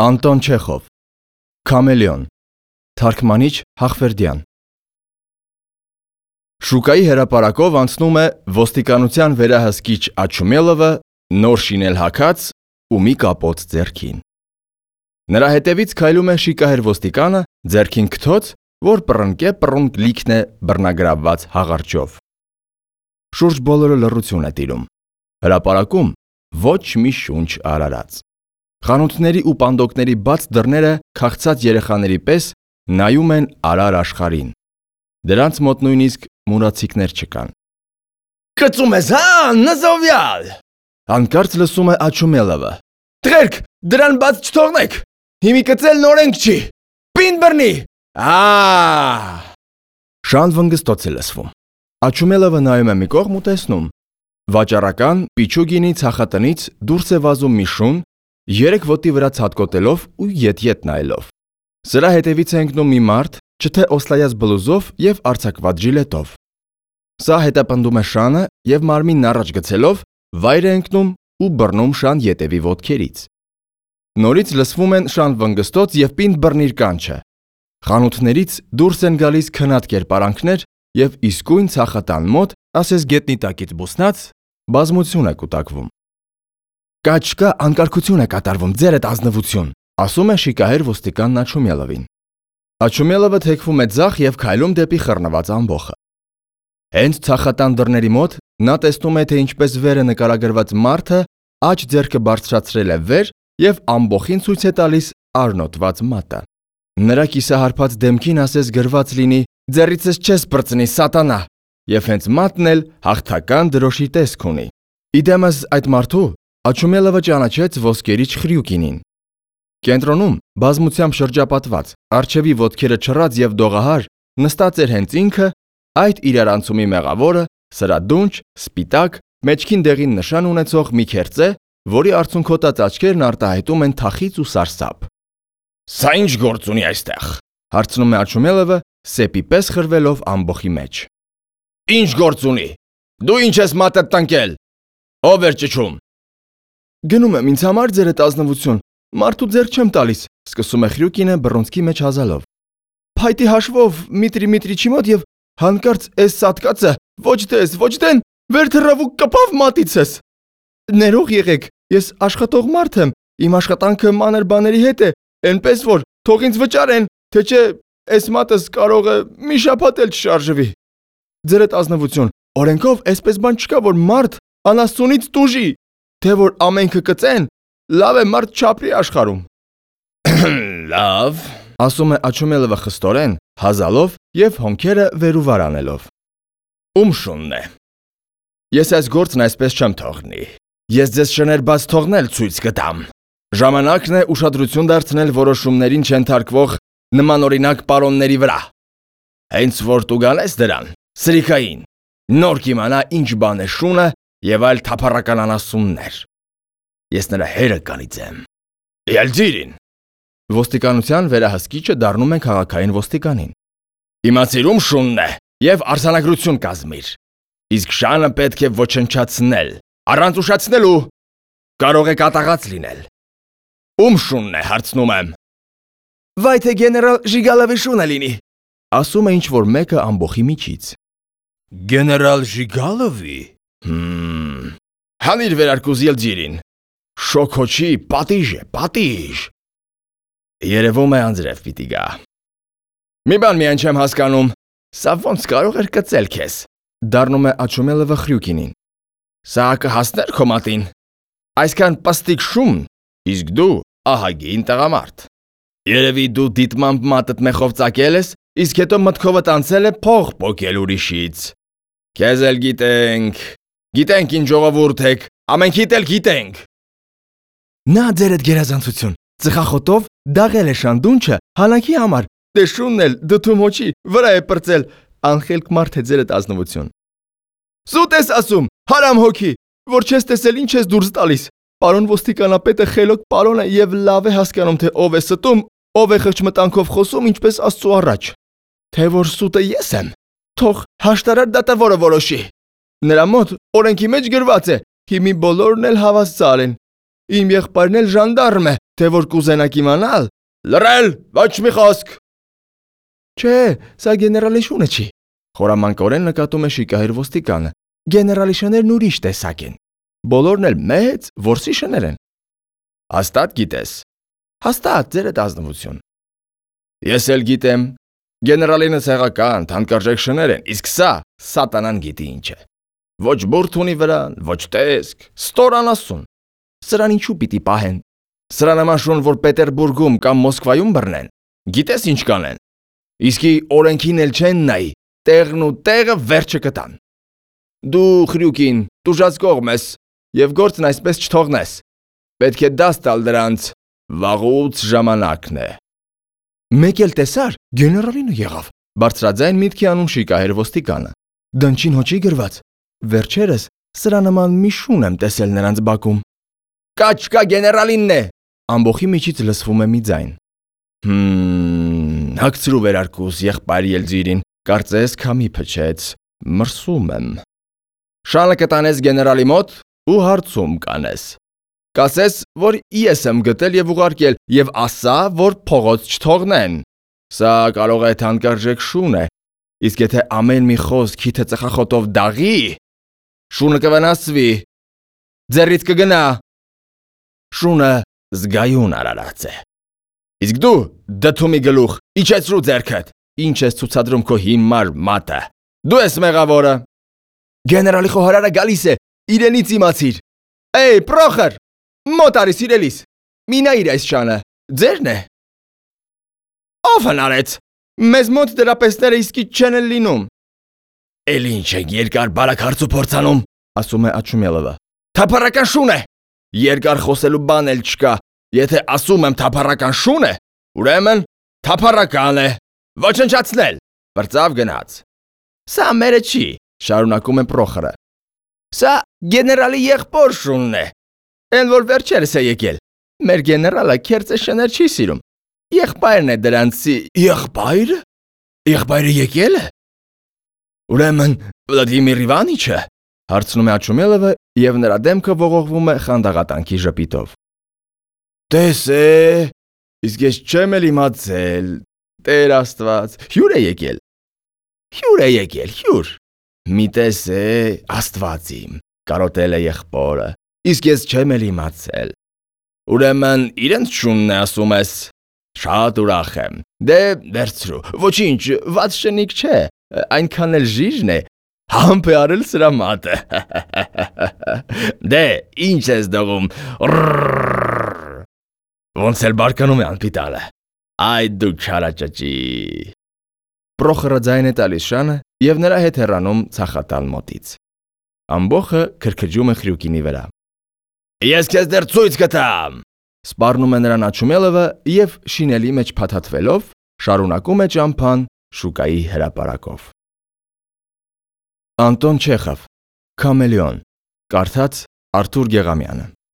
Անտոն Չեխով Քամելեոն Թարգմանիչ Հախվերդյան Շուկայի հրապարակով անցնում է ոստիկանության վերահսկիչ Աչումելովը նոր շինել հագած ու մի կապոց ձեռքին։ Նրա հետևից քայլում է շիկահեր ոստիկանը ձեռքին քթոց, որ պռնկ լիքն է բռնագրավված հաղարջով։ Շուրջ բոլորը լռություն է տիրում։ Հրապարակում ոչ մի շունչ արարած։ Խանութների ու պանդոկների բաց դռները քաղցած երեխաների պես նայում են արար աշխարհին։ Դրանց մոտ նույնիսկ մուրացիկներ չկան։ Կծում ես, հա, նզովյալ։ Հանկարծ լսում է Աչումելովը։ Տղերք, դրան բաց չթողնեք։ Հիմի կծելն օրենք չի։ Պին բռնի։ Շան վնգստոց է լսվում։ Աչումելովը նայում է մի կողմ ու տեսնում։ Վաճառական Պիչուգինի ցախատնից դուրս է վազում մի շուն, երեք ոտի վրա ցատկոտելով ու ետ նայելով։ Սրա հետևից է ընկնում մի մարդ, չթե օսլայած բլուզով եւ արձակված ժիլետով։ Սա հետապնդում է Շանը եւ մարմինն առաջ գցելով վայր է ընկնում ու բռնում Շան ետևի ոտքերից։ Նորից լսվում են Շան վնգստոց եւ պինդ բռնիր կանչը։ Խանութներից դուրս են գալիս քնած կերպարանքներ եւ իսկույն ցախատան մոտ, ասես գետնի տակից բուսնած, բազմություն է կուտակվում։ Կաչկա անկարգություն է կատարվում, ձերդ ազնվություն, ասում է շիկահեր ոստիկանն Աչումելովին։ Աչումելովը թեքվում է ձախ եւ քայլում դեպի խռնված ամբոխը։ Հենց ցախատան դռների մոտ նա տեսնում է, թե ինչպես վեր է նկարագրված մարդը աջ ձեռքը բարձրացրել է վեր եւ ամբոխին ցույց է տալիս արնոտված մատը։ Նրա կիսահարփած դեմքին ասես գրված լինի «Ձեռիցս չես պրծնի, սատանա», եւ հենց մատն էլ հաղթական դրոշի տեսք ունի։ Իդեմս այդ մարդու Աչումելովը ճանաչեց ոսկերիչ Խրյուկինին։ Կենտրոնում բազմությամբ շրջապատված, արջևի ոտքերը չռած եւ դողահար նստած էր հենց ինքը, այդ իրարանցումի մեղավորը, սրադունչ, սպիտակ, մեջքին դեղին նշան ունեցող մի քերծե, որի արցունքոտած աչքերն արտահայտում են թախիծ ու սարսափ։ Սա ինչ գործ ունի այստեղ։ Հարցնում է Աչումելովը, սեպի պես խրվելով ամբոխի մեջ։ Ինչ գործ ունի։ Դու ինչ ես մատդ տնկել։ Ով էր ճչում։ Գնում եմ ինձ համար ձերդ ազնվություն, մարդու ձեռք չեմ տալիս, սկսում է Խրյուկինը բռունցքի մեջ հազալով։ Փայտի հաշվով Միտրիչի մոտ եւ հանկարծ էս սատկացը, ոչ դես, ոչ դեն, վեր թռավ ու կպավ մատիցս։ Ներող եղեք, ես աշխատող մարդ եմ, իմ աշխատանքը մանր բաների հետ է, այնպես որ թող ինձ վճարեն, թե չէ էս մատս կարող է մի շաբաթ էլ չշարժվի։ Ձերդ ազնվություն, օրենքով էսպես բան չկա, որ մարդ անաստունից տուժի, թե որ ամենքը կծեն, լավ է մարդ չապրի աշխարհում։ Լավ, ասում է Աչումելովը խստորեն, հազալով եւ հոնքերը վերուվար անելով։ Ում շունն է։ Ես այս գործն այսպես չեմ թողնի։ Ես ձեզ շներ բաց թողնել ցույց կտամ։ Ժամանակն է ուշադրություն դարձնել որոշումներին չընթարկվող նմանօրինակ պարոնների վրա։ Հենց որ դու գալես դրան, սրիքային, նոր կիմանա ինչ բան է շունը եւ այլ թափառական անասուններ։ Ես նրա հերը կանիծեմ։ Ելձիրին։ Ոստիկանության վերահսկիչը դառնում է քաղաքային ոստիկանին։ Իմացիր ում շունն է եւ արձանագրություն կազմիր։ Իսկ Շանը պետք է ոչնչացնել, առանց ուշացնելու։ Կարող է կատաղած լինել։ Ում շունն է, հարցնում եմ։ Վայ թե գեներալ Ժիգալովի շունը լինի, ասում է ինչ-որ մեկը ամբոխի միջից։ Գեներալ Ժիգալովի։ Հանիր վերարկուզ Ելձիրին։ Շոքոչի պատիժ է, պատիժ։ Երևում է անձրև պիտի գա։ Մի բան միայն չեմ հասկանում, սա ոնց կարող էր կծել քեզ։ Դառնում է Աչումելովը Խրյուկինին։ Սա կհասներ քո մատին։ Այսքան պստիկ շուն, իսկ դու ահագին տղամարդ։ Երևի դու դիտմամբ մատդ մեխով ծակել ես, իսկ հետո մտքովդ անցել է փող պոկել ուրիշից։ Քեզ էլ գիտենք ինչ ժողովուրդ եք, ամենքիդ էլ գիտենք։ Նա ձերդ գերազանցություն, ծխախոտով դաղել է շանդունչը հանակի համար, դե շունն էլ դդում հոչի վրա է պրծել, անխելք մարդ է ձերդ ազնվություն։ Սուտ ես ասում, հարամ հոգի, որ չես տեսել ինչ ես դուրս տալիս։ Պարոն ոստիկանապետը խելոք պարոն է եւ լավ է հասկանում, թե ով է ստում, ով է խղճմտանքով խոսում, ինչպես Աստծո առաջ։ Թե որ սուտը ես եմ, թող հաշտարար դատավորը որոշի։ Նրա մոտ օրենքի մեջ գրված է, հիմի բոլորն էլ հավասար են։ Իմ եղբայրն էլ ժանդարմ է, թե որ կուզենաք իմանալ։ Լռել, ոչ մի խոսք։ Չէ, սա գեներալի շունը չի։ Խորամանկորեն նկատում է շիկահեր ոստիկանը։ Գեներալի շներն ուրիշ տեսակ են։ Բոլորն էլ մեծ, որսի շներ են։ Հաստատ գիտես։ Հաստատ, ձերդ ազնվություն։ Ես էլ գիտեմ։ Գեներալինը ցեղական, թանկարժեք շներ են, իսկ սա սատանան գիտի ինչ է։ Ոչ բուրդ ունի վրան, ոչ տեսք, ստորան ասուն։ Սրան ինչու պիտի պահեն։ Սրա նման շուն, որ Պետերբուրգում կամ Մոսկվայում բռնեն։ Գիտես ինչ կանեն։ Իսկի օրենքին էլ չեն նայի, տեղն ու տեղը վերջը կտան։ Դու խրյուկին, տուժած կողմ ես եւ գործն այսպես չթողնես։ Պետք է դաս տալ դրանց, վաղուց ժամանակն է։ Մեկ էլ տեսար, գեներալինը եղավ։ Բարձրաձայն միտքի անում շիկահեր ոստիկանը։ Դնչին հոչի գրված։ Վերջերս սրա նման մի շուն եմ տեսել նրանց բակում։ Կաչկա գեներալինն է։ Ամբողջի միջից լսվում է մի ձայն։ Հագցրու վերարկուս եղբայր Ելձիրին, կարծես քամի փչեց, մրսում եմ։ Շանը կտանես գեներալի մոտ ու հարցում կանես։ Կասես, որ ես եմ գտել եւ ուղարկել եւ ասա, որ փողոց չթողնեն։ Սա կարող է թանկարժեք շուն է, իսկ եթե ամեն մի խոսք քիթը ծխախոտով դաղի, շունը կվնասվի, ձեռից կգնա։ Շունը զգայուն արարած է։ Իսկ դու դդումի գլուխ, իջեցրու ձեռքդ, ինչ ես ցուցադրում քո հիմար մատը։ Դու ես մեղավորը։ Գեներալի խոհարարը գալիս է, իրենից իմացիր։ Էй, Պրոխոր, մոտ արի սիրելիս։ Մի նայիր այս շանը, ձերն է։ Ո՞վ հնարեց։ Մեզ մոտ դրա պեսները իսկի չեն էլ լինում։ Էլ ինչ եք երկար բարակ հարց ու փորձանում, ասում է Աչումելովը։ Թափառական շուն է։ Երկար խոսելու բան էլ չկա։ Եթե ասում եմ թափառական շուն է, ուրեմն թափառական է։ Ոչնչացնել։ Բրծավ գնաց։ Սա մերը չի, շարունակում է Պրոխորը։ Սա գեներալի եղբոր շունն է։ Էն որ վերջերս է եկել։ Մեր գեներալը քերծե շներ չի սիրում։ Եղբայրն է դրանցի։ Եղբայրը։ Եղբայրը եկել է։ Ուրեմն Վլադիմիր Իվանիչը, հարցնում է Աչումելովը եւ նրա դեմքը ողողվում է խանդաղատանքի ժպիտով։ Տեսե, իսկ ես չեմ էլ իմացել։ Տեր Աստված, հյուր է եկել։ Հյուր է եկել, հյուր։ Մի տեսե, Աստված իմ, կարոտել է եղբորը, իսկ ես չեմ էլ իմացել։ Ուրեմն իրենց շունն է ասում ես։ Շատ ուրախ եմ։ Դե վերցրու, ոչինչ, վատ շնիկ չէ, այնքան էլ ժիժն է, համբ է արել սրա մատը։ Դե, ինչ ես դողում։ Ոնց էլ բարկանում է անպիտալը։ Այ դու չարաճճի։ Պրոխորը ձայն է տալիս շանը եւ նրա հետ հեռանում ցախատալ մոտից։ Ամբողը քրքջում է խրյուկինի վրա։ Ես քեզ դեռ ցույց կտամ։ Սպառնում է նրան Աչումելովը եւ շինելի մեջ փաթաթվելով շարունակում է ճամփան շուկայի հրապարակով։ Անտոն Չեխով, Քամելեոն, կարդաց Արթուր Գեղամյանը։